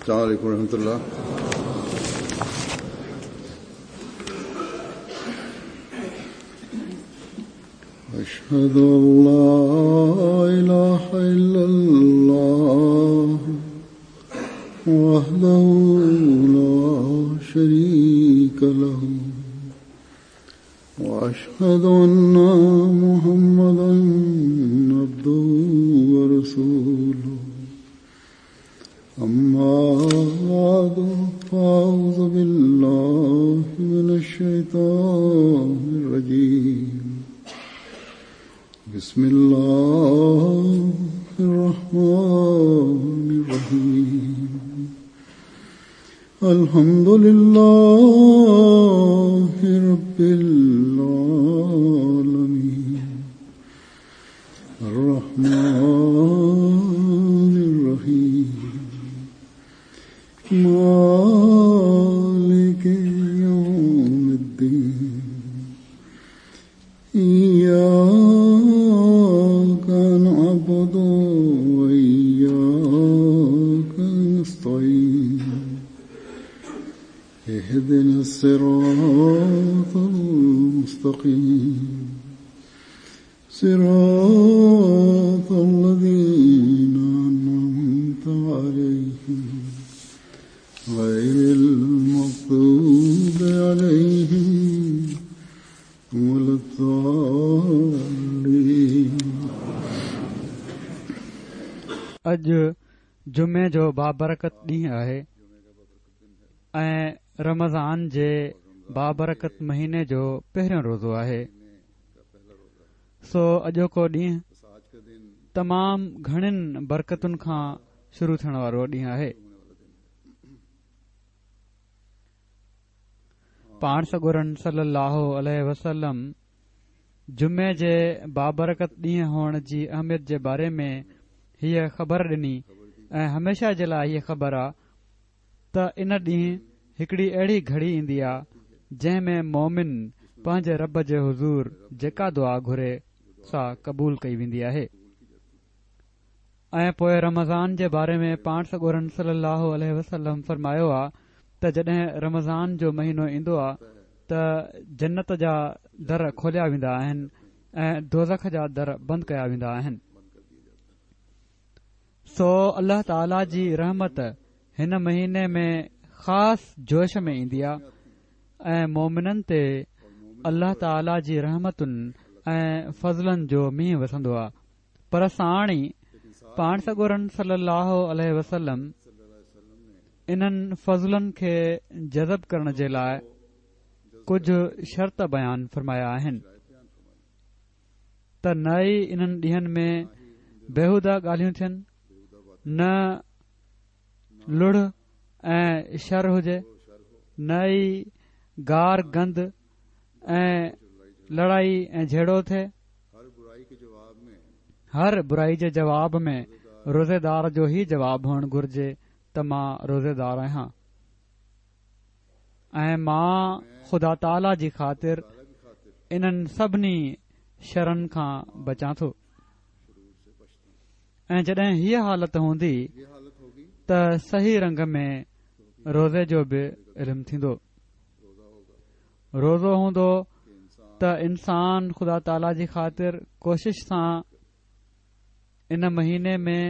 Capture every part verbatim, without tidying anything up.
السلام عليكم ورحمة الله. أشهد أن لا إله إلا الله وحده لا شريك له وأشهد أن محمدا عبده ورسوله. أما بعد فأعوذ بالله من الشيطان الرجيم. بسم الله الرحمن الرحيم. الحمد لله رب العالمين الرحمن الرحيم مالك يوم الدين إياك نعبد وإياك نستعين اهدنا الصراط المستقيم صراط الذين أنعمت عليهم غير المغضوب عليهم ولا الضالين. اڄ جمعي جو بابرڪت ڏينهن آهي ۽ رمضان جي بابرڪت مهيني جو پهريون روزو آهي. سو اڄوڪو ڏينهن تمام گهڻين برڪتن کان شروع ٿيڻ وارو ڏينهن آهي. پاڻ سڳورن صلي الله عليه وسلم جمعي جي بابرڪت ڏينهن هئڻ جي اهميت جي باري ۾ هيءَ خبر ڏني ۽ هميشه جي لاءِ هيءَ خبر آ ته ان ڏينهن هڪڙي اهڙي گهڙي ايندي آ جنهن ۾ مومن پنهنجي رب جي حضور جيڪا دعا گهري سا قبول ڪئي ويندي آهي. ۽ پوءِ رمضان جي باري ۾ پاڻ سڳورن صلي الله عليه وسلم فرمايو آ ته جڏهن رمضان جو مهينو ايندو آ ته جنت جا در کوليا ويندا آهن ۽ دوزخ جا در بند ڪيا ويندا آهن. سو الله تعاليٰ جي رحمت هن مهيني ۾ خاص جوش ۾ ايندي آ ۽ مومنن تي الله تعاليٰ جي رحمتن ۽ فضلن جو مينهن وسندو آ. پر ساڻ ئي پاڻ سڳورن صلي الله عليه وسلم انهن فضلن کي جذب ڪرڻ جي لاءِ ڪجهه شرط بيان فرمايا آهن ته نه ئي انهن ڏينهن ۾ بيهوده ڳالهيون ٿين، نه لڙ ۽ شر هجي، نه ئي گار گند ۽ لڙائي ۽ جهيڙو ٿئي. هر برائي جي جواب ۾ روزيدار جو هي جواب هئڻ گهرجي ته مان روزيدار آهيان ۽ مان خدا تعاليٰ جي خاطر انهن سڀني شرن کان بچان ٿو. ۽ جڏهن هيءَ حالت هوندي ته صحيح رنگ ۾ روزي جو به علم ٿيندو. روزو هوندو ته انسان خدا تعاليٰ جي خاطر ڪوشش سان ان مهيني ۾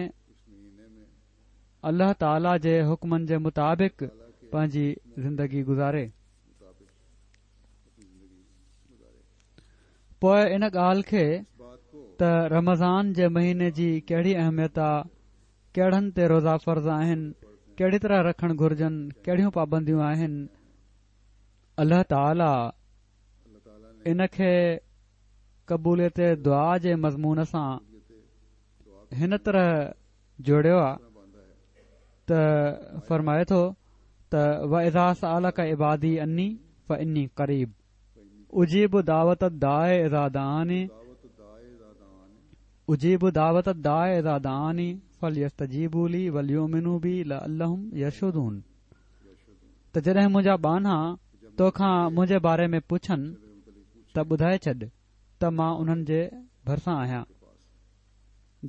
الله تعاليٰ جي حڪمن جي مطابق پنهنجي زندگي گذاري. پوءِ ان ڳالهه کي ته رمضان جي مهيني جي ڪهڙي اهميت آ، ڪهڙن تي روزا فرض آهن، ڪهڙي طرح رکڻ گهرجن، ڪهڙيون پابنديون آهن، الله تعاليٰ ان کي قبوليت دعا جي مضمون سان هن طرح جوڙيو آ ته فرمائي ٿو ته وَإِذَا سَأَلَكَ عِبَادِي عَنِّي فَإِنِّي قَرِيبٌ أُجِيبُ دَعْوَةَ الدَّاعِ إِذَا دَعَانِ أُجِيبُ دَعْوَةَ الدَّاعِ إِذَا دَعَانِ فَلْيَسْتَجِيبُوا لِي وَلْيُؤْمِنُوا بِي لَعَلَّهُمْ يَرْشُدُونَ. ته جڏهن منهنجا ٻانها توکان منهنجي باري ۾ پڇن ته ٻڌائي ڇڏ ته مان انهن جي ڀرسان آهيان.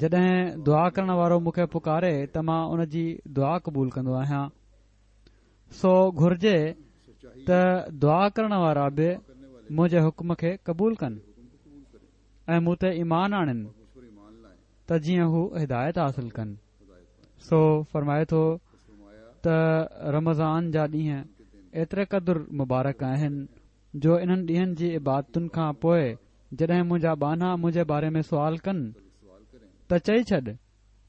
جڏهن دعا ڪرڻ وارو مون کي پڪاري ته مان ان جي دعا قبول ڪندو آهيان. سو گهرجي ته دعا ڪرڻ وارا به منهنجي حڪم کي قبول ڪن ۽ مون تي ايمان آڻن ته جيئن هو هدايت حاصل ڪن. سو فرمائي ٿو ته رمضان جا ڏينهن ايتري قدر مبارڪ آهن جو انهن ڏينهن جي عبادتن کان پوءِ جڏهن منهنجا ٻانها منهنجي باري ۾ سوال ڪن ته چئي ڇڏ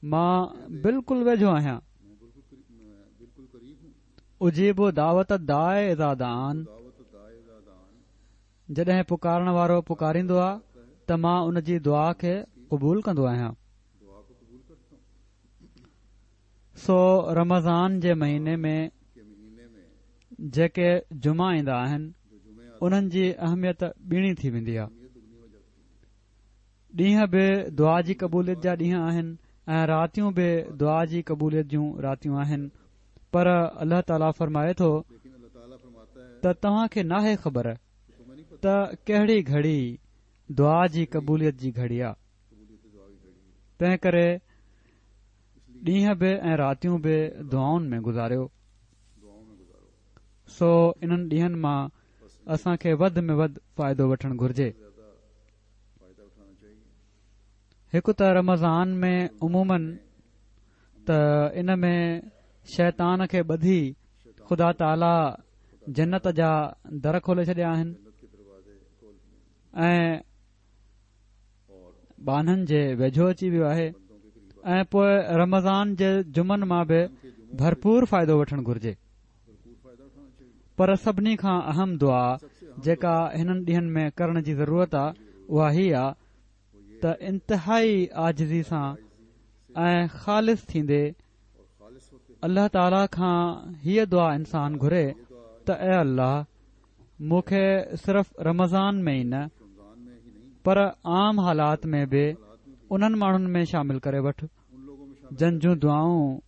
مان بلڪل ويجهو آهيان. اجيب دعوت الداع اذا دعان، جڏهن پڪارڻ وارو پڪاريندو آهي ته مان ان جي دعا کي قبول ڪندو آهيان. سو رمضان جي مهيني ۾ جيڪي جمعا ايندا آهن انهن جي اهميت ٻيڻي ٿي ويندي آهي. ڏينهن به دعا جي قبوليت جا ڏينهن آهن ۽ راتيون به دعا جي قبوليت جون راتيون آهن. پر الله تعاليٰ فرمائي ٿو ته توهان کي ناهي خبر ته ڪهڙي گهڙي دعا جي قبوليت جي گهڙي آهي. تنهن ڪري ڏينهن به ۽ راتيون به دعائن ۾ گذاريو. سو انهن ڏينهن مان اسان کي وڌ ۾ وڌ فائدو وٺڻ گهرجي. هڪ ته رمضان ۾ عموماً ته ان ۾ شيطان کي ٻڌي خدا تعاليٰ جنت جا در کولي ڇڏيا آهن ۽ ٻانهن جي ويجهو اچي ويو آهي ۽ پوءِ رمضان جي جمعن مان به ڀرپور فائدو وٺڻ گهرجي. پر سڀني کان اهم دعا جيڪا هنن ڏينهن ۾ ڪرڻ جي ضرورت آهي اها هي آهي ته انتهائي عاجزي سان ۽ خالص ٿيندي الله تعاليٰ کان هيءَ دعا انسان گهري ته اي الله، مون کي صرف رمضان ۾ ئي نه پر عام حالات ۾ به انهن ماڻهن ۾ شامل ڪري وٺ جن جون دعائون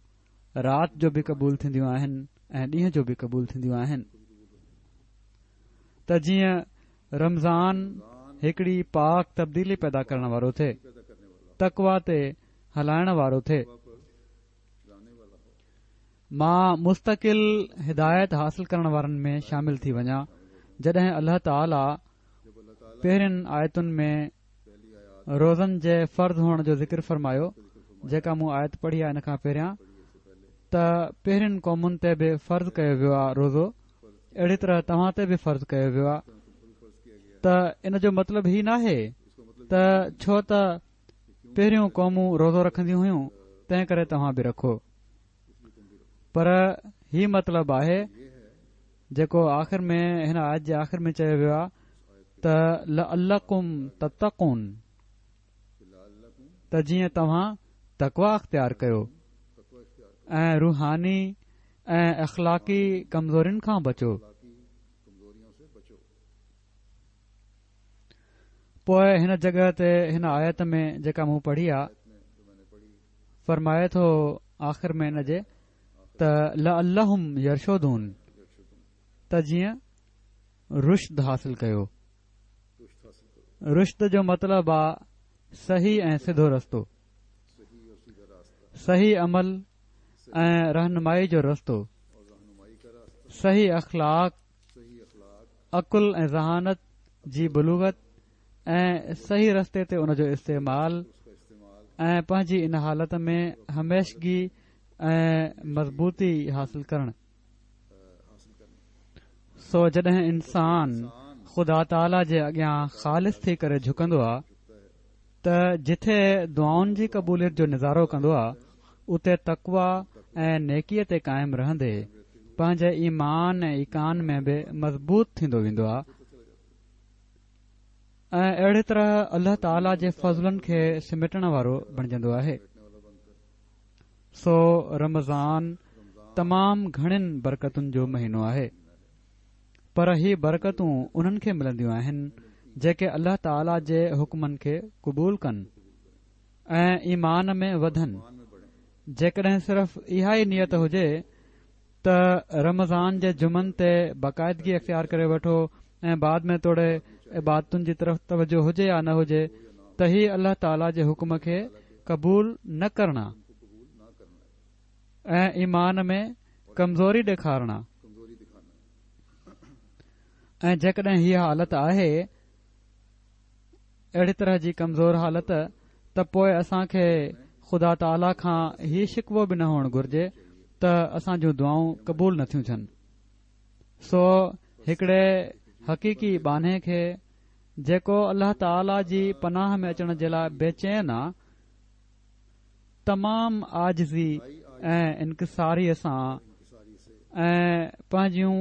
رات جو به قبول ٿينديون آهن ۽ ڏينهن جو به قبول ٿينديون آهن، ته جيئن رمضان هڪڙي پاڪ تبديلي پيدا ڪرڻ وارو ٿئي، تقويٰ تي هلائڻ وارو ٿئي. مان مستقل هدايت حاصل ڪرڻ وارن ۾ شامل ٿي وڃان. جڏهن الله تعاليٰ پهرين آيتن ۾ روزن جي فرض هئڻ جو ذڪر فرمايو، جيڪا مون آيت پڙهي آهي ان کان پهريان، ته پهرين قومن تي به فرض ڪيو ويو آهي روزو، اهڙي طرح توهان تي به فرض ڪيو ويو آهي. ته ان جو مطلب هي ناهي ته ڇو ته پهريون قومون روزو رکنديون هيون تنهن ڪري توهان به رکو، پر هي مطلب آهي جيڪو آخر ۾ هن آيت جي آخر ۾ چيو ويو آهي ته لعلڪم تتقون، ته جيئن توهان تقويٰ اختيار ڪيو ۽ روحاني ۽ اخلاقي ڪمزورين کان بچو. پوءِ هن جڳهه تي هن آيت ۾ جيڪا مون پڙهي آهي فرمائي ٿو آخر ۾ ان جي ته لعلهم يرشدون، ته جيئن رشد حاصل ڪيو. رشد جو مطلب آ صحيح ۽ سڌو رستو، صحيح عمل ۽ رهنمائي جو رستو، صحيح اخلاق، عقل ۽ ذهانت جي بلوغت ۽ صحيح رستي تي ان جو استعمال ۽ پنهنجي ان حالت ۾ هميشگي ۽ مضبوطي حاصل ڪرڻ. سو جڏهن انسان خدا تعاليٰ جي اڳيان خالص ٿي ڪري جهڪندو آ ته جٿي دعائن جي قبوليت جو نظارو ڪندو آ اتي تقويٰ ۽ نيڪيءَ تي قائم رهندي پنهنجي ايمان ۽ ايقان ۾ به مضبوط ٿيندو ويندو آ ۽ اهڙي طرح الله تعاليٰ جي فضلن کي سميٽڻ وارو بڻجندو آهي. سو رمضان تمام گهڻين برڪتن جو مهينو آهي، پر هي برڪتون انهن کي ملنديون آهن جيڪي الله تعاليٰ جي حڪمن کي قبول ڪن ۽ ايمان ۾ وڌن. جيڪڏهن صرف اها ئي نيت هجي ته رمضان جي جمعن تي باقاعدگي اختيار ڪري وٺو ۽ بعد ۾ توڙي عبادتن جي طرف توجه هجي يا نه هجي، ته هي الله تعاليٰ جي حڪم کي قبول نه ڪرڻا ۽ ايمان ۾ ڪمزوري ڏيکارڻا. ۽ جيڪڏهن هيء حالت آهي اهڙي طرح جي ڪمزور حالت ته پوء اسان کي خدا تعاليٰ کان هي شڪوو به نه هئڻ گهرجي ته اسان جون دعائون قبول نٿيون ٿين. سو هڪڙي حقيقي ٻانهي کي جيڪو الله تعاليٰ جي پناهه ۾ اچڻ جي لاء بيچين آ، تمام عاجزي ۽ انڪساريء سان ۽ پنهنجيون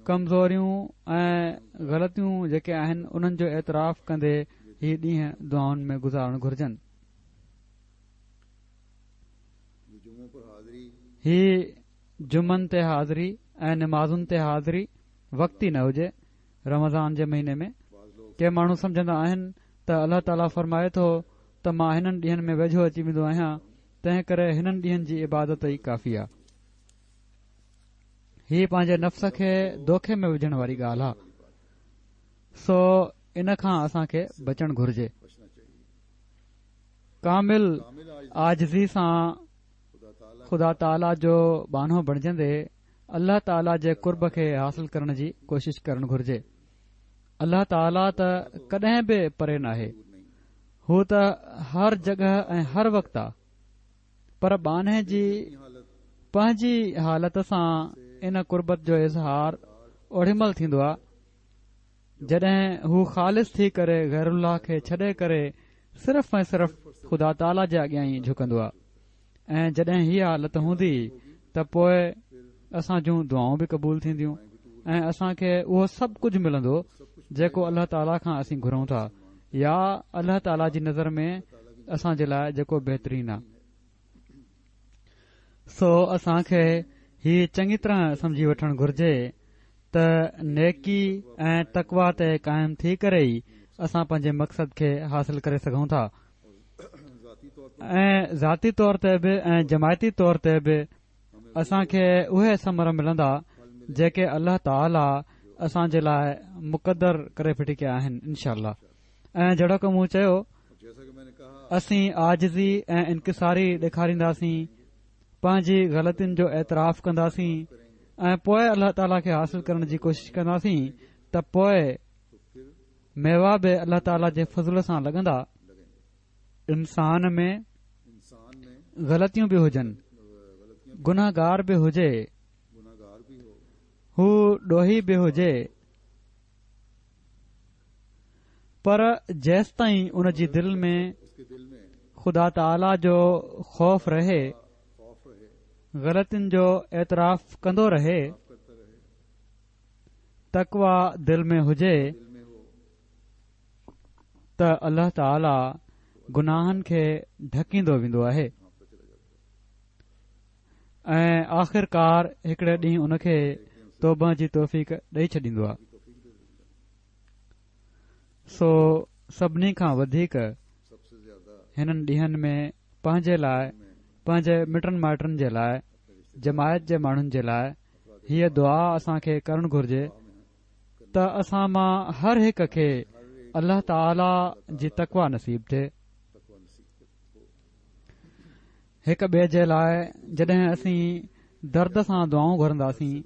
ڪمزوريون ۽ غلطيون جيڪي آهن انهن جو اعتراف ڪندي هي ڏينهن دعائن ۾ گذارڻ گهرجن. هي جمعن تي حاضري ۽ نمازن تي حاضري وقتي نه هجي. رمضان جي مهيني ۾ ڪي ماڻهو سمجهندا آهن ته الله تعاليٰ فرمائي ٿو ته مان هنن ڏينهن ۾ ويجهو اچي ويندو آهيان، تنهن ڪري هنن ڏينهن جي عبادت ئي ڪافي آهي. هي پنهنجي نفس کي دوکي ۾ وجهڻ واري ڳالهه آهي، سو ان کان اسان کي بچڻ گهرجي. ڪامل عاجزي سان خدا تعاليٰ جو ٻانهو بڻجندي الله تعاليٰ جي قرب کي حاصل ڪرڻ جي ڪوشش ڪرڻ گهرجي. الله تعاليٰ ته ڪڏهن به پري ناهي، هو ته هر جڳهه ۽ هر وقت آ، پر ٻانهي جي پنهنجي حالت سان ان قربت جو اظهار اوڏي مهل ٿيندو آ جڏهن هو خالص ٿي ڪري غير الله کي ڇڏي ڪري صرف ۽ صرف خدا تعاليٰ جي اڳيان ئي جهڪندو آ. ۽ جڏهن هيء حالت هوندي ته پوء اسان جون دعائون به قبول ٿينديون ۽ اسان کي اهو سڀ ڪجهه ملندو جيڪو الله تعاليٰ کان اسين گهرون ٿا يا الله تعاليٰ جي نظر ۾ اسان جي لاء جيڪو بهترين آ. سو اسان کي هي چڱي طرح سمجهي وٺڻ گهرجي ته نيڪي ۽ تقويٰ تي قائم ٿي ڪري ئي اسان پنهنجي مقصد کي حاصل ڪري سگهون ٿا ۽ ذاتي طور تي به ۽ جماعتي طور تي به اسان کي اهي ثمر ملندا جيڪي الله تعاليٰ اسان جي لاء مقدر ڪري ڦٽي ڪيا آهن انشاء الله. ۽ جهڙوڪ مون چيو، اسين عاجزي ۽ انڪساري ڏيکارينداسين، پنهنجي غلطين جو اعتراف ڪنداسين ۽ پوء الله تعاليٰ کي حاصل ڪرڻ جي ڪوشش ڪنداسين ته پوء ميوا به الله تعاليٰ جي فضل سان لڳندا. انسان ۾ غلطيون به هجن، گنهگار به هجي، هو ڏوهي به هجي، پر جيستائين ان جي دل ۾ خدا تعاليٰ جو خوف رهي، غلطين جو اعتراف ڪندو رهي، تقويٰ دل ۾ هجي ته الله تعاليٰ گناهن کي ڍڪيندو ويندو آهي ۽ آخرڪار هڪڙي ڏينهن ان کي توبه جي توفيق ڏئي ڇڏيندو آهي. سو سڀني کان وڌيڪ هنن ڏينهن ۾ پنهنجي لاء، پنهنجي مٽن مائٽن جي لاء، جماعت جي ماڻهن جي لاء هيء دعا اسان کي ڪرڻ گهرجي ته اسان مان هر هڪ کي الله تعاليٰ جي تقويٰ نصيب ٿئي. هڪ ٻئي جي لاء جڏهن اسين درد سان دعائون گهرنداسين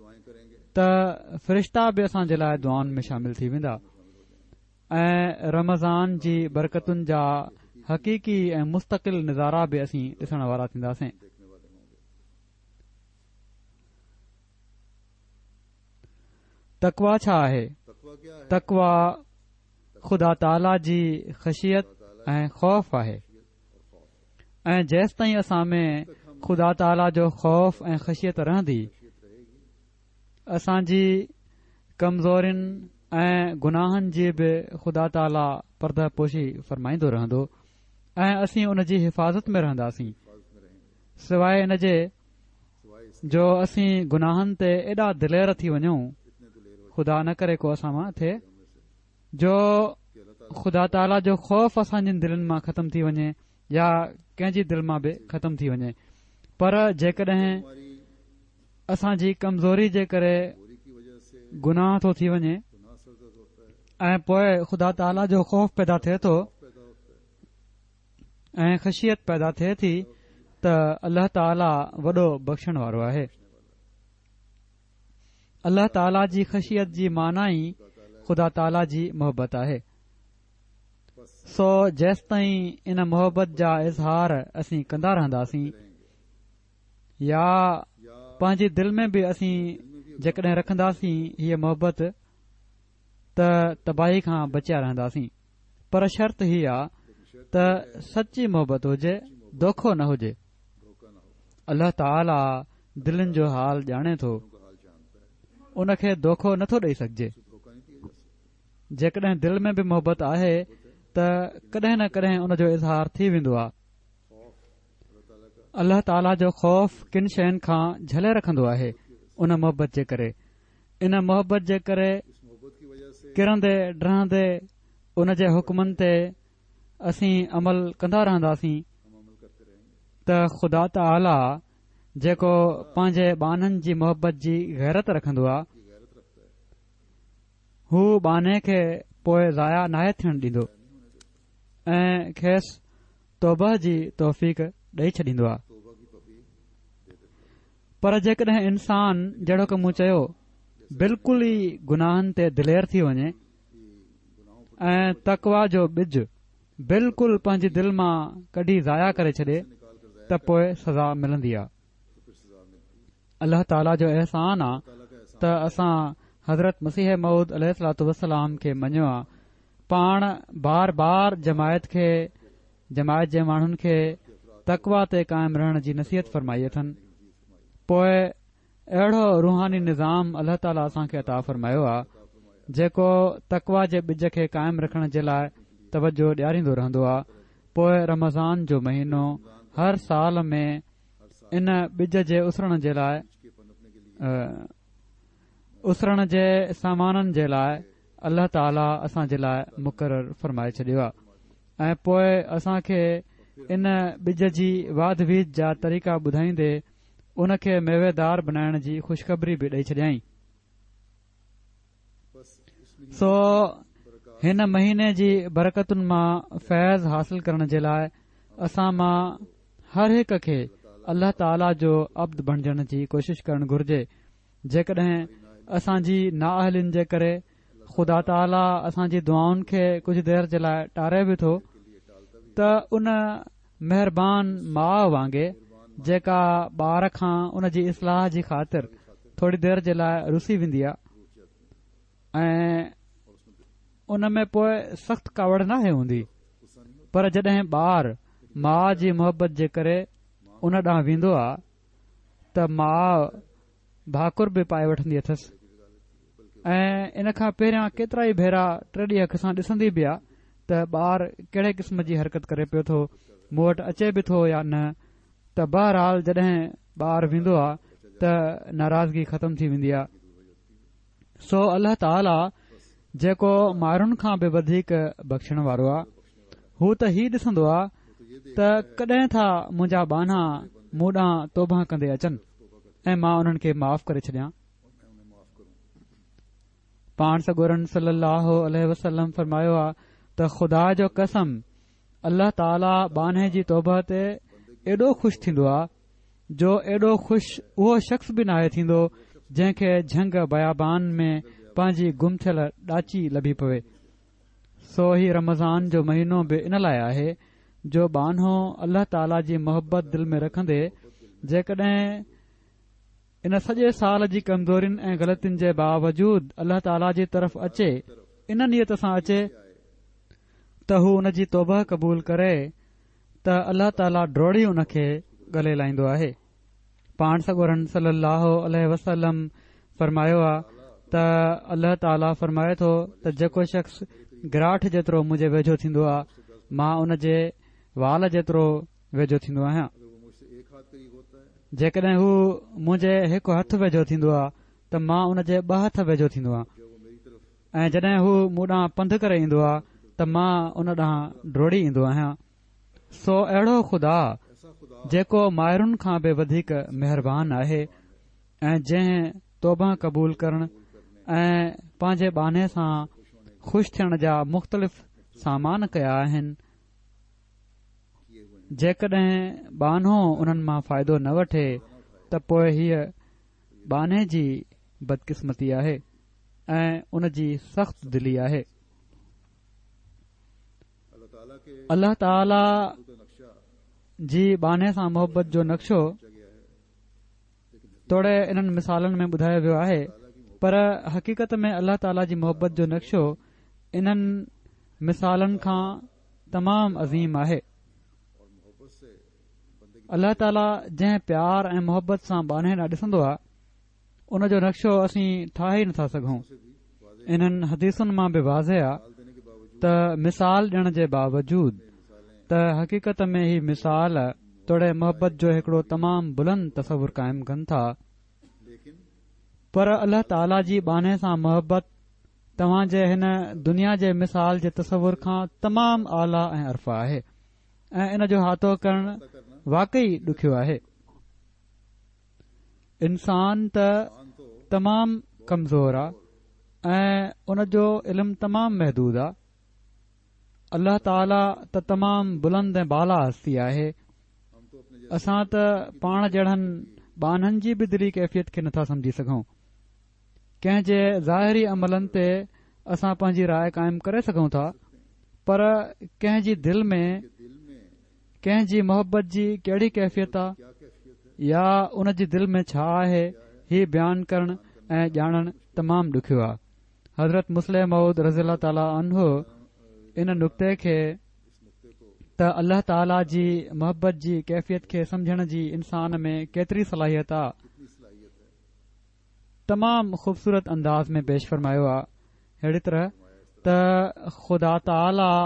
ته فرشتا به اسان جي لاء دعائن ۾ شامل ٿي ويندا ۽ رمضان جي برڪتن جا حقيقي ۽ مستقل نظارا به اسين ڏسڻ وارا ٿينداسين. تقويٰ ڇا آهي؟ تقويٰ خدا تعاليٰ جي خشيت ۽ خوف آهي ۽ جيستائين اسان ۾ خدا تعاليٰ جو خوف ۽ خشيت رهندي، اسان جي ڪمزورين ۽ گناهن جي به خدا تعاليٰ پرده پوشي فرمائيندو رهندو ۽ اسين ان جي حفاظت ۾ رهنداسين، سواء ان جي جو اسين گناهن تي ايڏا دلير ٿي وڃون، خدا نه ڪري ڪو اسان مان ٿئي، جو خدا تعاليٰ جو خوف اسان جي دلين مان ختم ٿي وڃي يا ڪنهن جي دل مان به ختم ٿي وڃي. پر جيڪڏهن اسان جي ڪمزوري جي ڪري گناهه ٿو ٿي وڃي ۽ پوء خدا تعاليٰ جو خوف پيدا ٿئي ٿو ۽ خشيت پيدا ٿئي ٿي ته الله تعاليٰ وڏو بخشڻ وارو آهي. الله تعاليٰ جي خشيت جي معنيٰ ئي خدا تعاليٰ جي محبت آهي. سو جيستائين ان محبت جا اظهار اسين ڪندا رهنداسين يا پنهنجي دل ۾ به اسين جيڪڏهن رکنداسين هيء محبت ته تباهي کان بچيا رهنداسين. پر شرط هي آ ته سچي محبت هجي، دوکو نه هجي. الله تعاليٰ دلن جو حال ڄاڻي ٿو، ان کي دوکو نٿو ڏئي سگهجي. جيڪڏهن دل ۾ به محبت آهي ته ڪڏهن نه ڪڏهن ان جو اظهار ٿي ويندو آهي. الله تعاليٰ جو خوف ڪن شين کان جهلي رکندو آهي ان محبت جي ڪري. ان محبت جي ڪري ڪرندي ڊهندي ان جي حڪمن تي اسين عمل ڪندا رهنداسين ته خدا تعاليٰ جيڪو پنهنجي ٻانهن جي محبت جي غيرت رکندو آهي، هو ٻانهي کي پوءِ ضايع ناهي ٿيڻ ڏيندو ۽ کيس توبه جي توفيق ڏئي ڇڏيندو آهي. پر جيڪڏهن انسان جهڙوڪ مون چيو بلڪل ئي گناهن تي دلير ٿي وڃي ۽ تقويٰ جو ٻج بلڪل پنهنجي دل مان ڪڍي ضايع ڪري ڇڏي ته پوءِ سزا ملندي آهي. الله تعاليٰ جو احسان آهي ته اسان حضرت مسيح موعود عليه الصلوة والسلام کي مڃيو آهي. پاڻ بار بار جماعت کي جماعت جي ماڻهن کي تقويٰ تي قائم رهڻ جي نصيحت فرمائي اٿن. پوءِ اهڙو روحاني نظام الله تعاليٰ اسان کي عطا فرمايو آهي جيڪو تقويٰ جي ٻج کي قائم رکڻ جي لاءِ توجه ڏياريندو رهندو آهي. پوءِ رمضان جو مهينو هر سال ۾ ان ٻج جي اسرڻ جي لاءِ اسرڻ جي سامانن جي لاءِ الله تعاليٰ اسان جي لاءِ مقرر فرمائي ڇڏيو آهي ۽ پوءِ اسان کي ان ٻج جي واڌ ويجهه جا طريقا ٻڌائيندي ان کي ميويدار بنائڻ جي خوشخبري به ڏئي ڇڏيائين. سو هن مهيني جي برڪتن مان فيض حاصل ڪرڻ جي لاءِ اسان مان هر هڪ کي الله تعاليٰ جو عبد بڻجڻ جي ڪوشش ڪرڻ گهرجي. جيڪڏهن اسان جي نااهلين جي ڪري خدا تعاليٰ اسان جي دعائن کي ڪجهه دير جي لاءِ ٽاري به ٿو ته ان مهربان ماءُ وانگي جيڪا ٻار کان ان جي اصلاح جي خاطر ٿوري دير جي لاءِ رسي ويندي آهي ۽ ان ۾ پوءِ سخت ڪاوڙ ناهي هوندي، پر جڏهن ٻار ماءُ جي محبت جي ڪري ان ڏانهن ويندو آهي ته ماءُ ڀاڪر به پائي وٺندي اٿس ۽ ان کان پهريان ڪيترا ئي ڀيرا ٽيڏي اک سان ڏسندي به آهي ته ٻار ڪهڙي قسم جي حرڪت ڪري پيو ٿو، مون وٽ اچي به ٿو يا نه. ته بهرحال جڏهن ٻار ويندو آهي ته ناراضگي ختم ٿي ويندي آهي. سو الله تعاليٰ جيڪو مائرن کان به وڌيڪ بخشڻ وارو آهي، هو ته هي ڏسندو آهي ته ڪڏهن ٿا منهنجا ٻانها مون ڏانهن توبه ڪندي اچن ۽ مان انهن کي معاف ڪري ڇڏيان. پاڻ سڳورن صلي الله عليه وسلم فرمايو آهي ته خدا جو قسم الله تعاليٰ ٻانهي جي توبه تي ايڏو خوش ٿيندو آهي جو ايڏو خوش اهو شخص به ناهي ٿيندو جنهن کي جهنگ بيابان ۾ پنهنجي گم ٿيل ڏاچي لڀي پوي. سو هي رمضان جو مهينو به ان لاءِ آهي جو ٻانهو الله تعاليٰ جي محبت دل ۾ رکندي جيڪڏهن ان سڄي سال جي ڪمزورين ۽ غلطين جي باوجود الله تعاليٰ جي طرف اچي، ان نيت سان اچي ته هو ان جي توبه قبول ڪري ته الله تعاليٰ ڊوڙي ان کي ڳلي لائيندو آهي. پاڻ سڳورن صلي الله عليه وسلم فرمايو آهي ته الله تعاليٰ فرمائي ٿو ته جيڪو شخص گراٺ جيترو منهنجي ويجهو ٿيندو آهي مان ان جي وال جيترو ويجهو ٿيندو آهيان. جيڪڏهن هو منهنجي هڪ هٿ ويجهو ٿيندو آهي ته مان ان جي ٻه هٿ ويجهو ٿيندو آهيان ۽ جڏهن هو مون ڏانهن پنڌ ڪري ايندو آهي ته مان ان ڏانهن ڊوڙي ايندو آهيان. سو اهڙو خدا جيڪو مائرن کان به وڌيڪ مهربان آهي ۽ جنهن توبه قبول ڪرڻ ۽ پنهنجي ٻانهي سان خوش ٿيڻ جا مختلف سامان ڪيا آهن، جيڪڏهن ٻانهو انهن مان فائدو نه وٺي ته پوءِ هيءَ ٻانهي جي بدقسمتي آهي ۽ ان جي سخت دلي آهي. الله تعاليٰ جي ٻانهي سان محبت جو نقشو توڙي انهن مثالن ۾ ٻڌايو ويو آهي، پر حقيقت ۾ الله تعاليٰ جي محبت جو نقشو انهن مثالن کان تمام عظيم آهي. الله تعاليٰ جنهن پيار ۽ محبت سان ٻانهي ڏانهن ڏسندو آهي ان جو نقشو اسين ٺاهي نٿا سگهون. انهن حديثن مان به واضح آهي ته مثال ڏيڻ جي باوجود ته حقيقت ۾ هي مثال توڙي محبت جو هڪڙو تمام بلند تصور قائم ڪن ٿا، پر الله تعاليٰ جي ٻانهي سان محبت توهان جي هن دنيا جي مثال جي تصور کان تمام اعليٰ ۽ ارفع آهي ۽ ان جو احاطو ڪرڻ واقعي ڏکيو آهي. انسان ته تمام ڪمزور آهي ۽ ان جو علم تمام محدود آهي. الله تعاليٰ ته تمام بلند ۽ بالا هستي آهي. اسان ته پاڻ جهڙن ٻانهن جي به دلي ڪيفيت کي نٿا سمجهي سگهون. ڪنهن جي ظاهري عملن تي اسان پنهنجي راءِ قائم ڪري سگهون ٿا، پر ڪنهن جي دل ۾ ڪنهن جي محبت جي ڪهڙي ڪيفيت آهي يا ان جي دل ۾ ڇا آهي، هي بيان ڪرڻ ۽ ڄاڻڻ تمام ڏکيو آهي. حضرت مصلح موعود رضي الله تعاليٰ عنه ان نقطي کي ته الله تعاليٰ جي محبت جي ڪيفيت کي سمجهڻ جي انسان ۾ ڪيتري صلاحيت آهي تمام خوبصورت انداز ۾ پيش فرمايو آهي. اهڙي طرح ته خدا تعاليٰ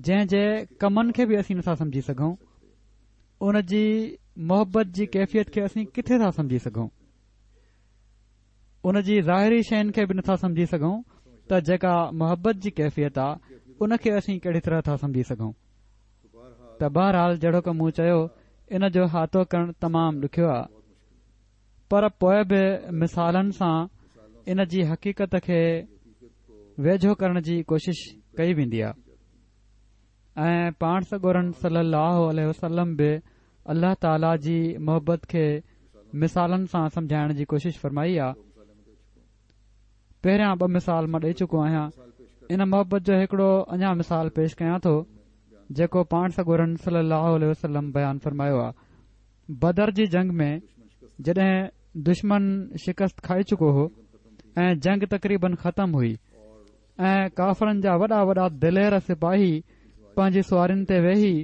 جنهن جي ڪمن کي به اسين نٿا سمجهي سگهون، ان جي محبت جي ڪيفيت کي اسين ڪٿي ٿا سمجهي سگهون؟ ان جي ظاهري شين کي به نٿا سمجهي سگهون ته جيڪا محبت جي ڪيفيت آهي ان کي اسين ڪهڙي طرح ٿا سمجهي سگهون؟ ته بهرحال جهڙوڪ مون چيو ان جو احاطو ڪرڻ تمام ڏکيو آهي، پر پوءِ به مثالن سان ان جي حقيقت کي ويجهو ڪرڻ جي ڪوشش ڪئي ويندي آهي. ۽ پاڻ سڳورن صلي الله عليه وسلم به الله تعاليٰ جي محبت کي مثالن سان سمجهائڻ جي ڪوشش فرمائي آهي. پهريان ٻه مثال مان ڏئي چڪو آهيان. ان محبت جو هڪڙو اڃا مثال پيش ڪيان ٿو جيڪو پاڻ سڳورن صلي الله عليه وسلم بيان فرمايو آهي. بدر جي جنگ ۾ جڏهن دشمن شڪست کائي چڪو هو ۽ جنگ تقريبن ختم هئي ۽ ڪافرن جا وڏا وڏا دلير سپاهي پنهنجي سوارين تي ويهي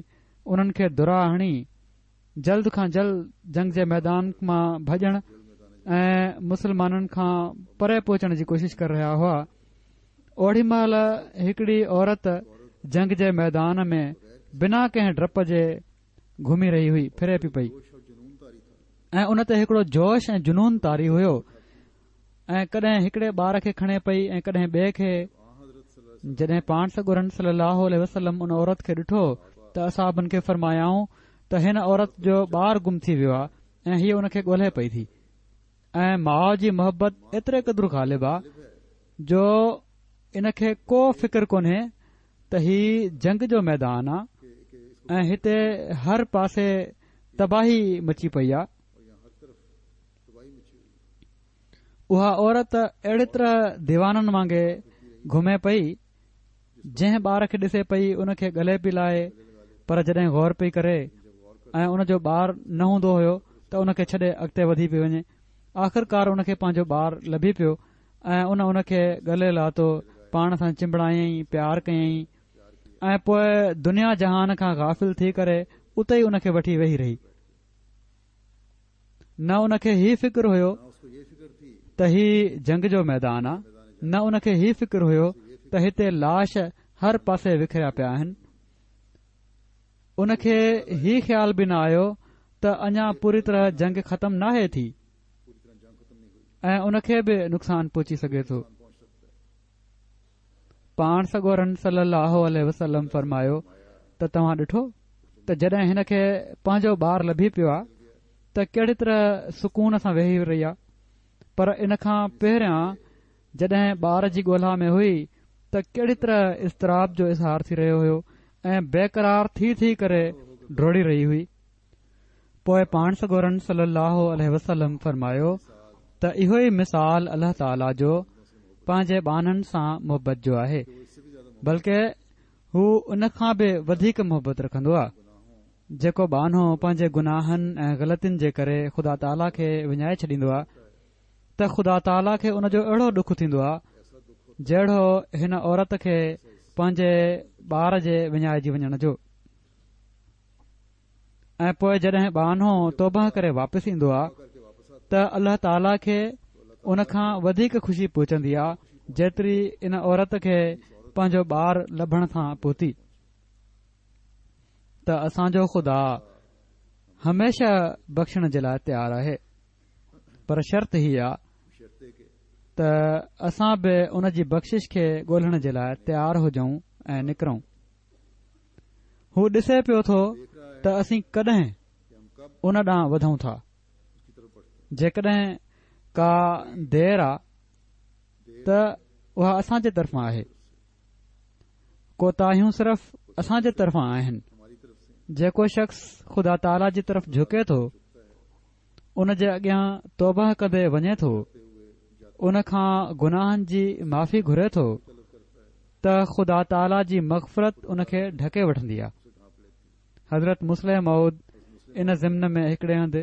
انهن کي درا هڻي جلد کان جلد جنگ جي ميدان مان ڀڄڻ ۽ مسلمانن کان پري پهچڻ جي ڪوشش ڪري رهيا هئا، اوڙي مهل هڪڙي عورت جنگ جي ميدان ۾ بنا ڪنهن ڊپ جي گهمي رهي هئي، ڦري پئي پئي ۽ ان تي هڪڙو جوش ۽ جنون طاري هيو ۽ ڪڏهن هڪڙي ٻار کي کڻي پئي ۽ ڪڏهن ٻئي کي. جڏهن پاڻ سڳورن صلي الله عليه وسلم ان عورت کي ڏٺو ته اصحابن کي فرمايائون ته هن عورت جو ٻار گم ٿي ويو آهي ۽ هيءَ ان کي ڳولهي پئي ٿي. ۽ ماءُ جي محبت ايتري قدر غالب آهي جو ان کي ڪو فڪر ڪونهي ته هي جنگ جو ميدان آهي ۽ هتي هر پاسي تباهي مچي پئي آهي. اها عورت اهڙي طرح ديوانن وانگي گهمي پئي، جنهن ٻار کي ڏسي پئي ان کي ڳلي پئي لائي، پر جڏهن غور پئي ڪري ۽ ان جو ٻار نه هوندو هيو ته ان کي ڇڏي اڳتي وڌي پئي وڃي. آخرڪار ان کي پنهنجو ٻار لڀي پيو ۽ ان ان کي ڳلي لاتو، پاڻ سان چنبڙايائين، پيار ڪيائين ۽ پوءِ دنيا جهان کان غافل ٿي ڪري اتي ئي ان کي وٺي ويهي رهي. نه ان کي هي فڪر هيو ته هي جنگ جو ميدان آهي، نه ان کي هي فڪر هيو ته هتي لاش هر پاسي وکريا پيا آهن. ان کي هي خيال به نه آيو ته اڃا پوري طرح جنگ ختم ناهي ٿي ۽ ان کي به نقصان پهچي سگهي ٿو. پاڻ سڳورن صلي الله عليه وسلم فرمايو ته توهان ڏٺو ته جڏهن هن کي پنهنجو ٻار لڀي پيو آهي ته ڪهڙي طرح سڪون سان ويهي رهي آهي، پر ان کان پهريان جڏهن ٻار جي ڳولها ۾ هئي ته ڪهڙي طرح اضطراب جو اظهار ٿي رهيو هيو ۽ بيقرار ٿي ٿي ڪري ڊوڙي رهي هئي. پوءِ پاڻ سڳورن صلي الله عليه وسلم فرمايو ته اهو ئي مثال الله تعاليٰ جو پنهنجي ٻانهن سان محبت جو آهي، بلڪه هو ان کان به وڌيڪ محبت رکندو آهي. جيڪو ٻانهو پنهنجي گناهن ۽ غلطين جي ڪري خدا تعاليٰ کي وڃائي ڇڏيندو آهي ته خدا تعاليٰ کي ان جو اهڙو ڏک ٿيندو آهي جهڙو هن عورت کي پنهنجي ٻار جي وڃائجي وڃڻ جو. ۽ پوءِ جڏهن ٻانهو توبه ڪري واپس ايندو آهي ته الله تعاليٰ کي ان کان وڌيڪ خوشي پهچندي آهي جيتري ان عورت کي پنهنجو ٻار لڀڻ سان پهتي. ته اسان جو خدا هميشه بخشڻ جي لاءِ تيار آهي، پر شرط هي آهي ته اسان به ان جي بخشش کي ڳولهڻ جي لاءِ تيار هجون ۽ نڪرون. هو ڏسي پيو ٿو ته اسين ڪڏهن ان ڏانهن وڌون ٿا. جيڪڏهن ڪا دير آهي ته اها اسان جي طرفان آهي، ڪوتاهيون صرف اسان جي طرفان آهن. جيڪو شخص خدا تعاليٰ جي طرف جهڪي ٿو، ان جي اڳيان توبه ڪندي وڃي ٿو، ان کان گناهن جي معافي گهري ٿو ته خدا تعاليٰ جي مغفرت ان کي ڍڪي وٺندي آهي. حضرت مصلح موعود ان ضمن ۾ هڪڙي هنڌ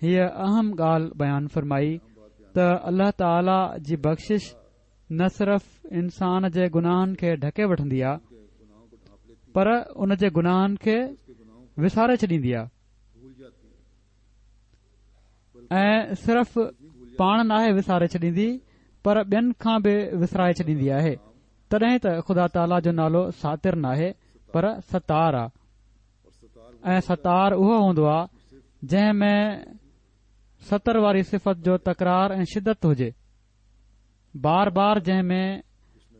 هيءَ اهم ڳالهه بيان فرمائي ته الله تعاليٰ جي بخشش نه صرف انسان جي گناهن کي ڍڪي وٺندي آهي پر ان جي گناهن کي وساري ڇڏيندي آهي ۽ صرف پاڻ ناهي وساري ڇڏيندي پر ٻين کان به وسارائي ڇڏيندي آهي. تڏهن ته خدا تعاليٰ جو نالو ساتر ناهي پر ستار آهي، ۽ ستار اهو هوندو آهي جنهن ۾ ستر واري صفت جو تڪرار ۽ شدت هجي، بار بار جنهن ۾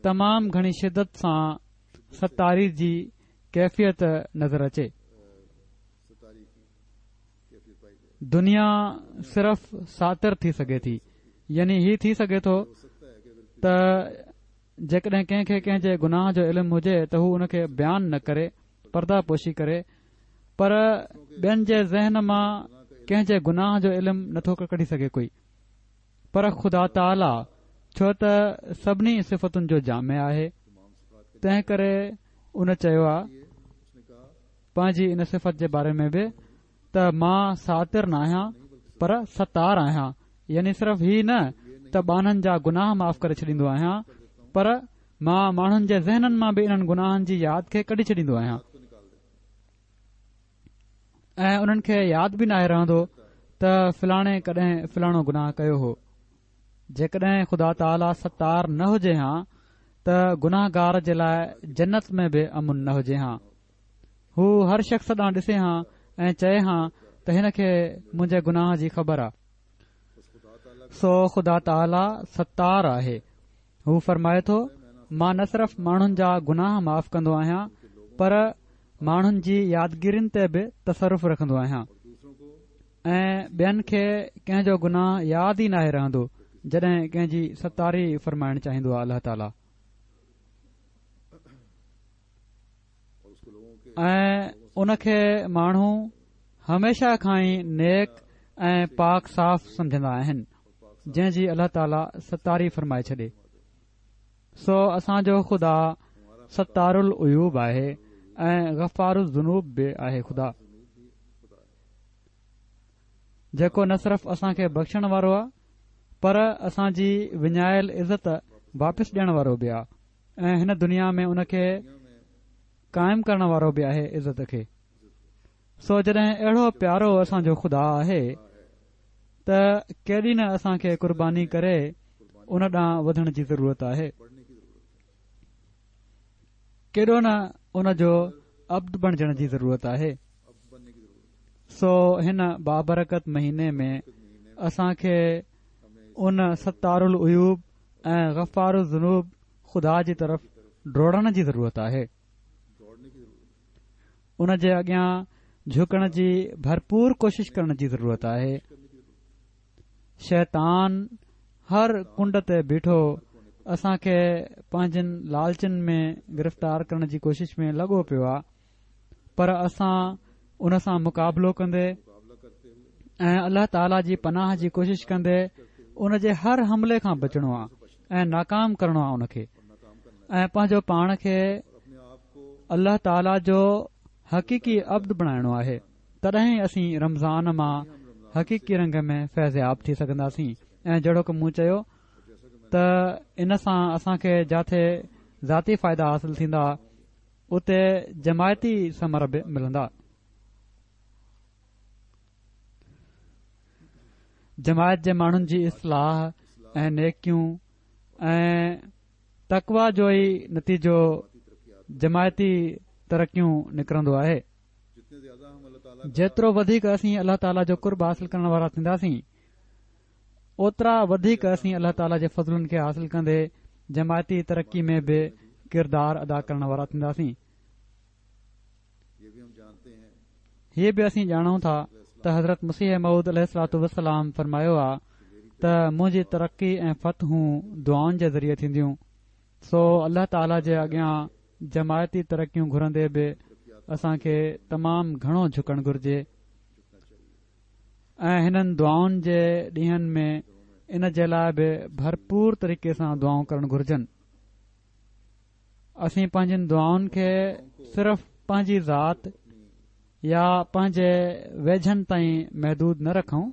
تمام گهڻي شدت سان ستاري جي ڪيفيت نظر اچي. دنيا صرف ساتر ٿي سگهي ٿي، يعني هي ٿي سگهي ٿو ته جيڪڏهن ڪنهن کي ڪنهن جي گناهه جو علم هجي ته هو ان کي بيان نه ڪري، پرده پوشي ڪري، پر ٻين جي ذهن مان ڪنهن جي گناهه جو علم نٿو ڪڍي سگهي ڪوئي. پر خدا تعاليٰ ڇو ته سڀني صفتن جو جامع آهي، تنهن ڪري ان چيو آهي پنهنجي ان صفت جي باري ۾ به ته مان ساتر نه آهيان پر ستار آهيان، يعني صرف هي نه ته ٻانهن جا گناهه معاف ڪري ڇڏيندو آهيان پر مان ماڻهن جي ذهنن مان به انهن گناهن جي ياد کي ڪڍي ڇڏيندو آهيان ۽ انهن کي ياد به ناهي رهندو ته فلاڻي ڪڏهن فلاڻو گناهه ڪيو هو. جيڪڏهن خدا تعاليٰ ستار نه هجي ها ته گناهگار جي لاءِ جنت ۾ به امن نه هجي ها. هو هر شخص ڏانهن ڏسي ها ۽ چئي ها ته هن کي منهنجي گناهه جي خبر آهي. سو خدا تعاليٰ ستار آهي. هو فرمائي ٿو مان نه صرف ماڻهن جا گناهه معاف ڪندو آهيان پر ماڻهن جي يادگيرين تي به تصرف رکندو آهيان ۽ ٻين کي ڪنهن جو گناهه ياد ئي ناهي رهندو جڏهن ڪنهن جي ستاري فرمائڻ چاهيندو آهي الله تعاليٰ. ۽ ان کي ماڻهو هميشه کان ئي نيڪ ۽ پاڪ صاف سمجهندا آهن جنهن جي الله تعاليٰ ستاري فرمائي ڇڏي. سو اسان جو خدا ستار العيوب آهي ۽ غفار الذنوب به آهي. خدا جيڪو نه صرف اسان کي بخشڻ وارو آهي پر اسان جي وڃايل عزت واپس ڏيڻ وارو به آهي ۽ هن دنيا ۾ ان کي قائم ڪرڻ وارو به آهي عزت کي. سو جڏهن اهڙو پيارو اسان جو خدا آهي ته ڪيڏي نه اسان کي قرباني ڪري ان ڏانهن وڌڻ جي ضرورت آهي، ڪيڏو نه ان جو عبد بڻجڻ جي ضرورت آهي. سو هن بابرڪت مهيني ۾ اسان کي ان ستار العيوب ۽ غفار الذنوب خدا جي طرف ڊوڙڻ جي ضرورت آهي، ان جي اڳيان جهڪڻ جي ڀرپور ڪوشش ڪرڻ جي ضرورت آهي. شيطان هر ڪنڊ تي بيٺو اسان کي پنهنجن لالچن ۾ گرفتار ڪرڻ جي ڪوشش ۾ لڳو پيو آهي، پر اسان ان سان مقابلو ڪندي ۽ الله تعاليٰ جي پناهه جي ڪوشش ڪندي ان جي هر حملي کان بچڻو آهي ۽ ناڪام ڪرڻو آهي ان کي ۽ پنهنجو پاڻ کي الله تعاليٰ جو حقيقي عبد بڻائڻو آهي. تڏهن اسين رمضان مان حقيقي رنگ ۾ فيضياب ٿي سگهنداسين. ۽ جهڙوڪ مون چيو ته ان سان اسان کي جاٿي ذاتي فائدا حاصل ٿيندا اتي جماعتي ثمر به ملندا. جماعت جي ماڻهن جي اصلاح ۽ نيڪيون ۽ تقويٰ جو ئي نتيجو جماعتي ترقيون نڪرندو آهي. جيترو وڌيڪ اسين الله تعاليٰ جو قرب حاصل ڪرڻ وارا ٿينداسين اوترا وڌيڪ اسين الله تعاليٰ جي فضلن کي حاصل ڪندي جماعتي ترقي ۾ به ڪردار ادا ڪرڻ وارا ٿينداسين. هيء به اسين ڄاڻون ٿا ته حضرت مسيح موعود عليه الصلوة والسلام فرمايو آ ته منهنجي ترقي ۽ فتحون دعائن جي ذريعي ٿينديون. سو الله تعاليٰ جي اڳيان جماعتي ترقيون گهرندي به اسان کي تمام گهڻو جهڪڻ گهرجي ۽ هنن دعائن جي ڏينهن ۾ ان جي لاءِ به ڀرپور طريقي سان دعائون ڪرڻ گهرجن. اسين پنهنجين دعائن کي صرف پنهنجي ذات يا پنهنجي ويجهن تائين محدود نه رکون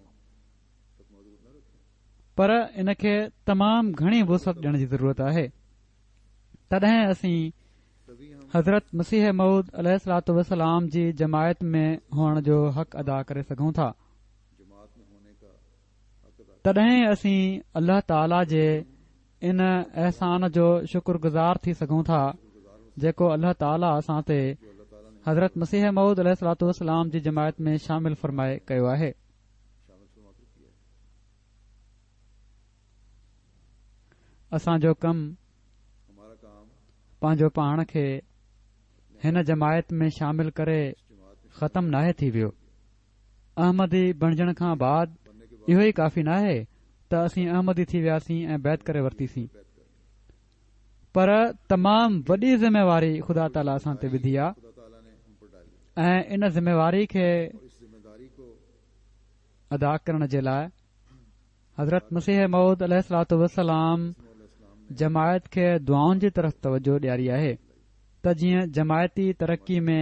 پر ان کي تمام گهڻي وسعت ڏيڻ جي ضرورت آهي. تڏهن اسين حضرت مسيح موعود عليه الصلوة والسلام جي جماعت ۾ هئڻ جو حق ادا ڪري سگهون ٿا. تڏهن اسين الله تعاليٰ جي ان احسان جو شڪر گذار ٿي سگهون ٿا جيڪو الله تعاليٰ اسان تي حضرت مسيح موعود عليه الصلوة والسلام جي جماعت ۾ شامل فرمائي ڪيو آهي. اسان جو ڪم پنهنجو پاڻ کي هن جماعت ۾ شامل ڪري ختم ناهي ٿي ويو. احمدي بڻجڻ کان بعد اهو ئي ڪافي ناهي ته اسين احمدي ٿي وياسين ۽ بيعت ڪري ورتيسين، پر تمام وڏي ذميواري خدا تعاليٰ اسان تي وڌي آ ۽ ان ذميواري کي ادا ڪرڻ جي لاءِ حضرت مسيح موعود عليه الصلوة والسلام جماعت کي دعائن جي طرف توجه ڏياري آهي ته جيئن جماعتي ترقي ۾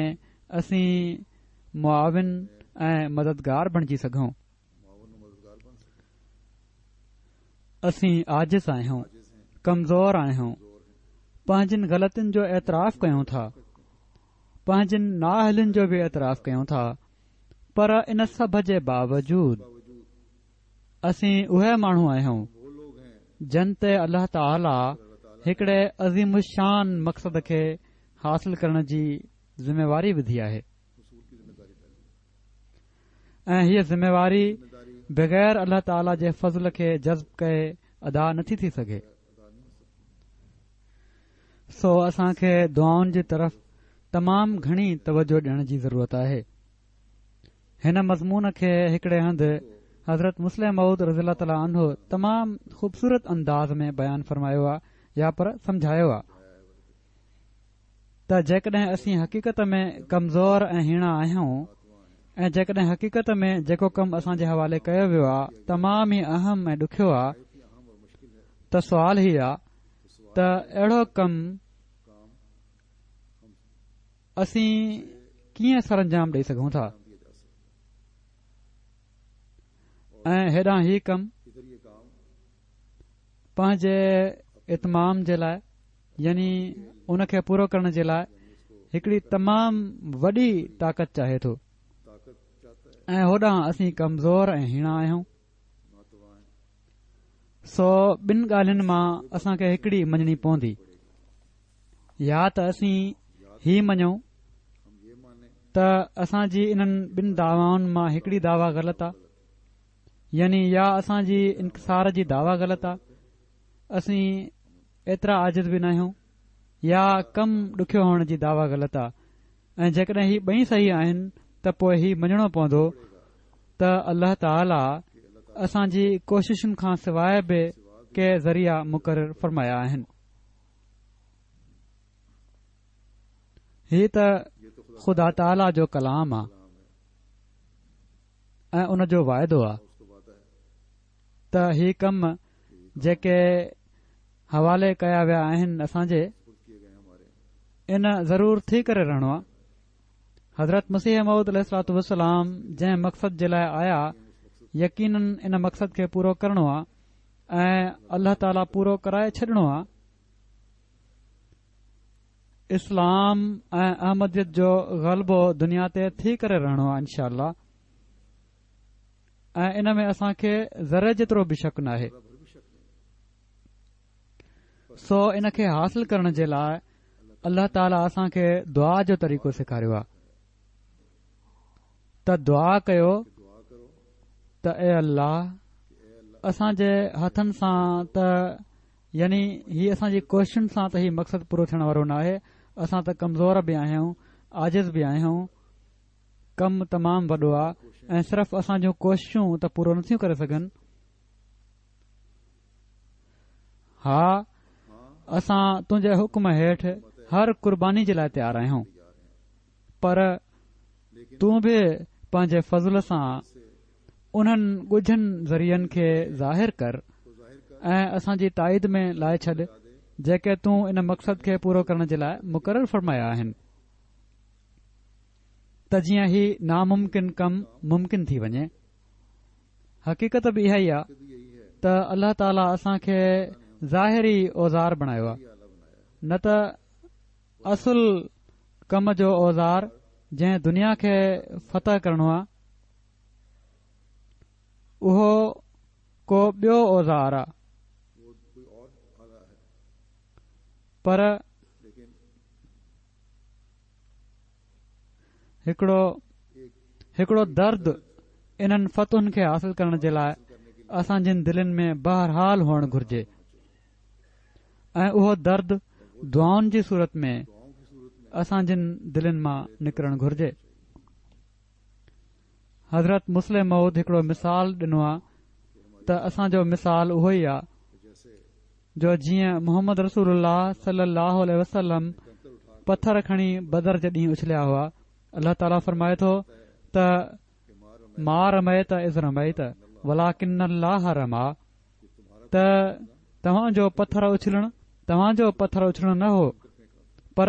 اسين معاون ۽ مددگار بڻجي سگهون. اسين عاجز آهيون، ڪمزور آهيون، پنهنجين غلطين جو اعتراف ڪيون ٿا، پنهنجين نااهلين جو به اعتراف ڪيون ٿا، پر ان سڀ جي باوجود اسين اهي ماڻهو آهيون جن تي الله تعاليٰ هڪڙي عظيم الشان مقصد کي حاصل ڪرڻ جي ذميواري وڌي آهي ۽ هيءَ ذميواري بغير الله تعاليٰ جي فضل کي جذب ڪئي ادا نٿي ٿي سگهي. سو اسان کي دعائن جي طرف تمام گهڻي توجه ڏيڻ جي ضرورت آهي. هن مضمون کي هڪڙي هنڌ حضرت مصلح موعود رضي الله تعاليٰ عنه تمام خوبصورت انداز ۾ بيان فرمايو آ يا پر سمجهايو آ ته جيڪڏهن اسين حقيقت ۾ ڪمزور ۽ هيڻا آهيون ۽ جيڪڏهن حقيقت ۾ جيڪو ڪم اسان جي حوالي ڪيو ويو آ تمام ئي اهم ۽ ڏکيو آ ته سوال هي آ ته اهڙو ڪم اسين ڪيئن سرانجام ڏئي سگهون ٿا ۽ هيڏانهن هي ڪم پنهنجي اتمام جي لاءِ يعني ان کي پورو ڪرڻ جي لاءِ هڪڙي تمام وڏي طاقت چاهي ٿو ۽ هوڏانهن اسين ڪمزور ۽ هيڻا آهيون. سو ٻن ڳالهين مان اسان کي هڪڙي مڃڻي پوندي، يا ته اسين هي مڃون ته اسان جي انهن ٻن دعوائن مان هڪڙي دعويٰ غلط آ، يعني يا اسان جي انڪسار جي دعويٰ غلط آ، اسين ايترا عاجز به ناهيون، يا ڪم ڏکيو هئڻ جي دعويٰ غلط آ. ۽ جيڪڏهن هي ٻئي صحيح آهن ته پوءِ هي مڃڻو پوندو ته الله تعاليٰ اسان جي ڪوششن کان سواءِ به ڪي ذريعا مقرر فرمايا آهن. هي ته خدا تعاليٰ جو ڪلام آ ۽ ان جو واعدو آ. ته هي ڪم جيڪي حوالي ڪيا ويا آهن اسان جي، ان ضرور ٿي ڪري رهڻو آهي. حضرت مسيح موعود عليه الصلوة والسلام جنهن مقصد جي لاء آيا، يقينن ان مقصد کي پورو ڪرڻو آهي ۽ الله تعاليٰ پورو ڪرائي ڇڏڻو آهي. اسلام ۽ احمديت جو غلبو دنيا تي ٿي ڪري رهڻو آهي انشاء الله، ۽ ان ۾ اسان کي ذري جيترو به شڪ ناهي. سو ان کي حاصل ڪرڻ جي لاء الله تعاليٰ اسان کي دعا جو طريقو سيکاريو آهي ته دعا ڪيو ته اي الله، اسان جي هٿن سان ته يعني هي اسان جي ڪوششن سان ته هي مقصد پورو ٿيڻ وارو ناهي، اسان ته ڪمزور به آهيون، عاجز به آهيون، ڪم تمام وڏو آهي ۽ صرف اسان جون ڪوششون ته پورو نٿيون ڪري سگهن. ها، اسان تنهنجي حڪم هيٺ هر قرباني جي لاء تيار آهيون، پر تون به پنهنجي فضل سان انهن ڳجهن ذريعن کي ظاهر ڪر ۽ اسان جي تائيد ۾ لائي ڇڏ جيڪي تون ان مقصد کي پورو ڪرڻ جي لاء مقرر فرمايا آهن، ته جيئن هي ناممڪن ڪم ممڪن ٿي وڃي. حقيقت به اها ئي آهي ته الله تعاليٰ اسان کي ظاهري اوزار بڻايو آهي، نه ته اصل ڪم جو اوزار جنهن دنيا کي فتح ڪرڻو آهي اهو ڪو ٻيو اوزار آهي، پر هڪڙو هڪڙو درد انهن فتحن کي حاصل ڪرڻ جي لاء اسان جن دلين ۾ بهرحال هئڻ گهرجي، ۽ اهو درد دعائن جي صورت ۾ اسان جن دلين مان نڪرڻ گهرجي. حضرت مصلح موعود هڪڙو مثال ڏنو آهي ته اسان جو مثال اهو ئي آهي جو جيئن محمد رسول الله صلي الله عليه وسلم پٿر کڻي بدر جي ڏينهن اڇليا هئا. الله تعاليٰ فرمائي ٿو ته ما رميت اذ رميت ولڪن الله رميٰ، ته توهان جو پٿر اڇلڻ توهان جو پٿر اڇلڻ نه هو، پر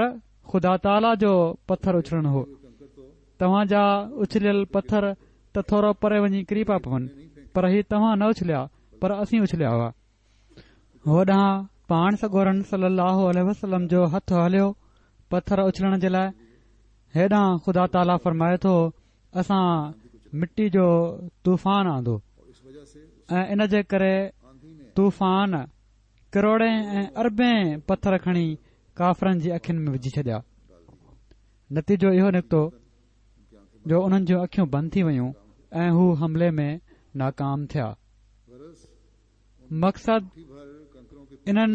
خدا تعاليٰ جو پٿر اڇلڻ هو. توهان جا اڇليل پٿر ته ٿورو پري وڃي ڪري پيا پون، پر هي توهان نه اڇليا، پر اسين اڇليا هئا. هوڏانهن پاڻ سڳورن صلي الله عليه وسلم جو هٿ هليو پٿر اڇلڻ جي لاء، هيڏانهن خدا تعاليٰ فرمائي ٿو اسان مٽي جو طوفان آندو ۽ ان جي ڪري طوفان ڪروڙين ۽ اربين پٿر کڻي ڪافرن جي اکين ۾ وجهي ڇڏيا. نتيجو اهو نڪتو جو انهن جون اکيون بند ٿي ويون ۽ هو حملي ۾ ناڪام ٿيا. مقصد انهن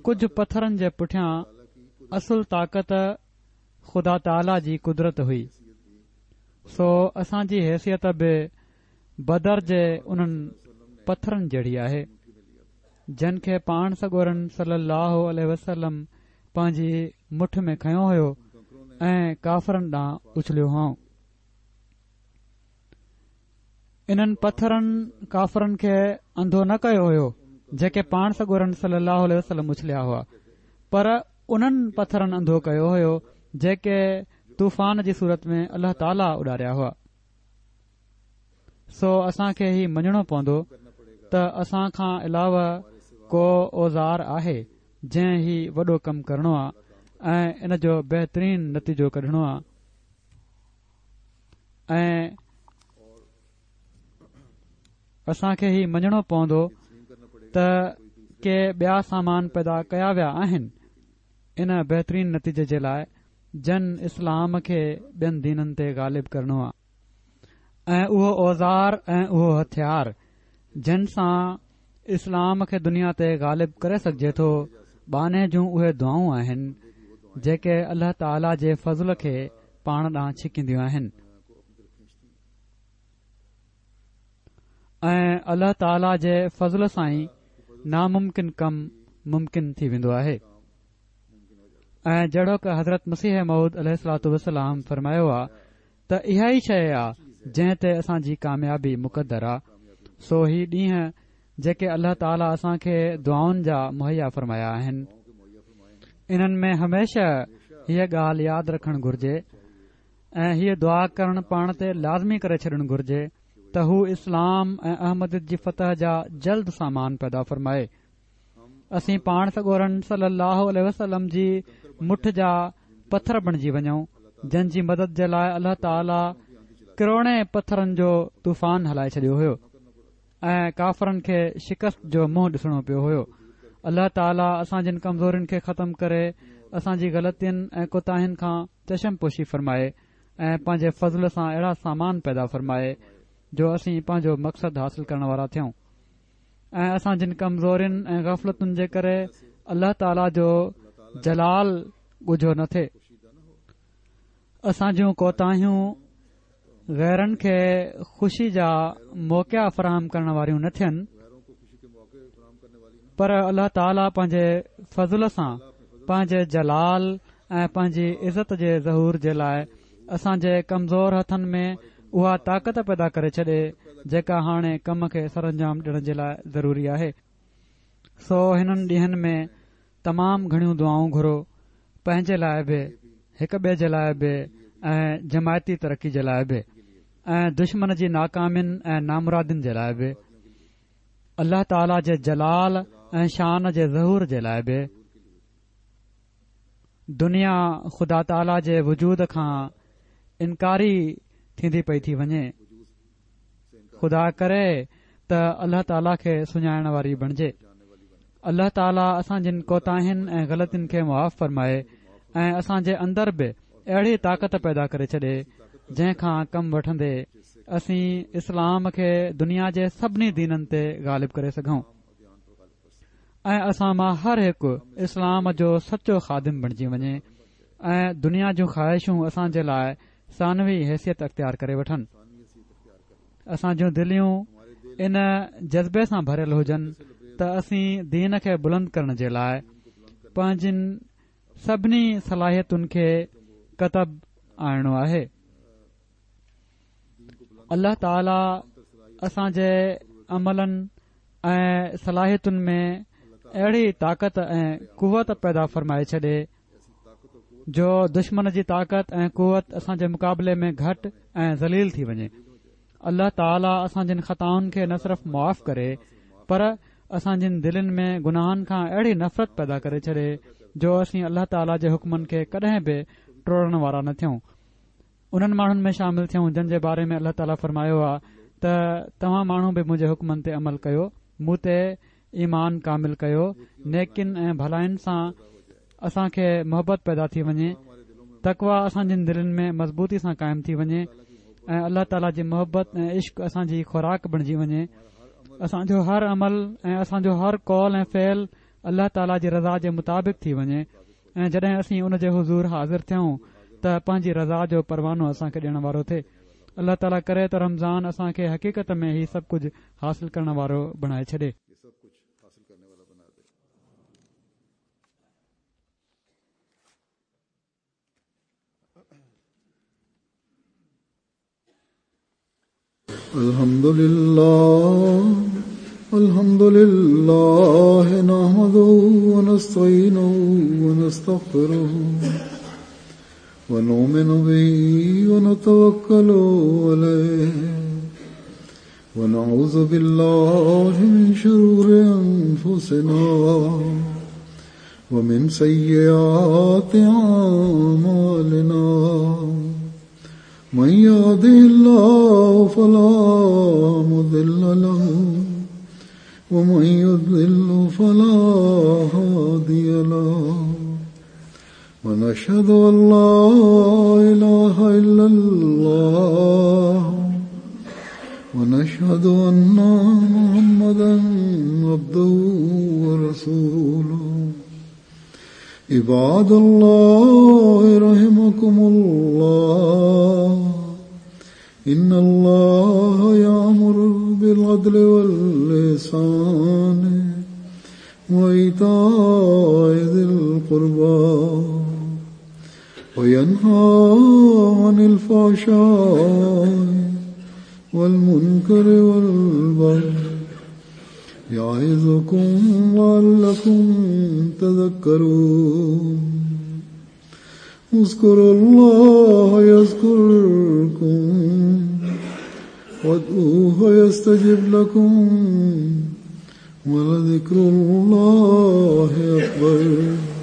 ڪجهه پٿرن جي پٺيان اصل طاقت خدا تعاليٰ جي قدرت هئي. سو اسان جي حيثيت به بدر جي انهن پٿرن جهڙي آهي، جن کي پاڻ سڳورن صلي الله عليه وسلم پنهنجي مٺ ۾ کنيو هيو ۽ ڪافرن ڏانهن اڇليو هئائون. انهن پٿرن ڪافرن کي انڌو نه ڪيو هيو جيڪي پاڻ سڳورن صلي الله عليه وسلم اڇليا هئا، پر انهن پٿرن انڌو ڪيو هيو جيڪي طوفان جي صورت ۾ الله تعاليٰ اڏاريا هئا. سو اسان کي هي مڃڻو پوندو ته اسان کان علاوه ڪو اوزار آهي جنهن هي وڏو ڪم ڪرڻو آ ۽ ان جو بهترين نتيجو ڪڍڻو آ، ۽ اسان کي هي مڃڻو پوندو ته ڪي ٻيا سامان پيدا ڪيا ويا آهن ان بهترين نتيجي جي لاء جن اسلام کي ٻين دينن تي غالب ڪرڻو آ، ۽ اهو اوزار ۽ اهو هٿيار جن سان اسلام کي دنيا تي غالب ڪري سگهجي ٿو، ٻانهي جون اهي دعائون آهن جيڪي الله تعاليٰ جي فضل کي پاڻ ڏانهن ڇڪينديون آهن، ۽ الله تعاليٰ جي فضل سان ئي ناممڪن ڪم ممڪن ٿي ويندو آهي. ۽ جهڙوڪ حضرت مسيح موعود عليه الصلوة والسلام فرمايو آ ته اها ئي شيء آ جنهن تي اسان جي ڪاميابي مقدر آ. سو هي ڏينهن جيڪي الله تعاليٰ اسان کي دعائن جا مهيا فرمايا آهن. انهن ۾ هميشه هيء ڳالهه ياد رکڻ گهرجي ۽ هيء دعا ڪرڻ پاڻ تي لازمي ڪري ڇڏڻ گهرجي ته هو اسلام ۽ احمديت جي فتح جا جلد سامان پيدا فرمائي. اسين پاڻ سڳورن صلي الله عليه وسلم جي مٺ جا پٿر بڻجي وڃون، جن جي مدد جي لاءِ الله تعاليٰ ڪروڙين پٿرن جو طوفان هلائي ڇڏيو هيو ۽ ڪافرن کي شڪست جو منهن ڏسڻو پيو هيو. الله تعاليٰ اسان جن ڪمزورين کي ختم ڪري اسان جي غلطين ۽ ڪوتاهين کان چشم پوشي فرمائي ۽ پنهنجي فضل سان اهڙا سامان پيدا فرمائي جو اسين پنهنجو مقصد حاصل ڪرڻ وارا ٿيون ۽ اسان جن ڪمزورين ۽ غفلتن جي ڪري الله تعاليٰ جو جلال ڳجهو نه ٿئي. اسان جون ڪوتاهيون غيرن کي خوشي جا موقعا فراهم ڪرڻ واريون نه ٿين، پر الله تعاليٰ پنهنجي فضل سان پنهنجي جلال ۽ پنهنجي عزت جي ظهور جي لاءِ اسان جي ڪمزور هٿن ۾ اها طاقت پيدا ڪري ڇڏي جيڪا هاڻي ڪم کي سرانجام ڏيڻ جي لاءِ ضروري آهي. سو هنن ڏينهن ۾ تمام گهڻيون دعائون گهرو، پنهنجي لاءِ به، هڪ ٻئي جي لاءِ به ۽ جماعتي ترقي جي لاءِ به ۽ دشمن جي ناڪامين ۽ نامرادين جي لاءِ به، الله تعاليٰ جي جلال ۽ شان جي ظهور جي لاءِ به. دنيا خدا تعاليٰ جي وجود کان انڪاري ٿيندي پئي ٿي وڃي. خدا ڪري ته الله تعاليٰ کي سڃاڻڻ واري بڻجي. الله تعاليٰ اسان جن ڪوتاهين ۽ غلطين کي معاف فرمائي ۽ اسان جي اندر به اهڙي طاقت پيدا ڪري ڇڏي جنهن کان ڪم وٺندي اسين اسلام کي دنيا جي سڀني دينن تي غالب ڪري سگهون ۽ اسان مان هر هڪ اسلام جو سچو خادم بڻجي وڃي ۽ دنيا جون خواهشون اسان جي لاءِ ثانوي حيثيت اختيار ڪري وٺن. اسان جون دليون ان جذبي سان ڀريل هجن ته اسين دين کي بلند ڪرڻ جي لاءِ پنهنجن سڀني صلاحيتن کي ڪتب آڻڻو آهي. الله تعاليٰ اسان جي عملن ۽ صلاحيتن ۾ اهڙي طاقت ۽ قوت پيدا فرمائي ڇڏي جو دشمن جي طاقت ۽ قوت اسان جي مقابلي ۾ گهٽ ۽ ذليل ٿي وڃي. الله تعاليٰ اسان جن خطائن کي نه صرف معاف ڪري پر اسان جن دلين ۾ گناهن کان اهڙي نفرت پيدا ڪري ڇڏي جو اسين الله تعاليٰ جي حڪمن کي ڪڏهن به ٽوڙڻ وارا نه ٿيون. انهن ماڻهن ۾ شامل ٿيون جن جي باري ۾ الله تعاليٰ فرمايو آهي ته توهان ماڻهو به منهنجي حڪمن تي عمل ڪيو، مون تي ايمان ڪامل ڪيو، نيڪين ۽ ڀلائين سان اسان کي محبت پيدا ٿي وڃي، تقويٰ اسان جن دلين ۾ مضبوطي سان قائم ٿي وڃي ۽ الله تعاليٰ جي محبت ۽ عشق اسان جي خوراڪ بڻجي وڃي. اسان جو هر عمل ۽ اسان جو هر قول ۽ فعل الله تعاليٰ جي رضا جي مطابق ٿي وڃي ۽ جڏهن اسين ان جي حضور حاضر ٿيون ته پنهنجي رضا جو پروانو اسان کي ڏيڻ وارو ٿئي. الله تعاليٰ ڪري ته رمضان اسان کي حقيقت ۾ هي سڀ ڪجهه حاصل ڪرڻ وارو بڻائي ڇڏي. الحمد لله الحمد لله نحمده ونستعينه ونستغفره ونؤمن به ونتوكل عليه ونعوذ بالله من شرور أنفسنا ومن سيئات أعمالنا من يهده الله فلا مضل له ومن يضلل فلا هادي له ونشهد أن لا إله إلا الله ونشهد أن محمدا عبده ورسوله. عباد الله رحمكم الله، إن الله يأمر بالعدل والإحسان وإيتاء ذي القربى وينهى عن الفحشاء والمنكر والبغي يعظكم لعلكم تذكرون. اذكروا الله يذكركم وادعوه يستجب لكم ولذكر الله أكبر.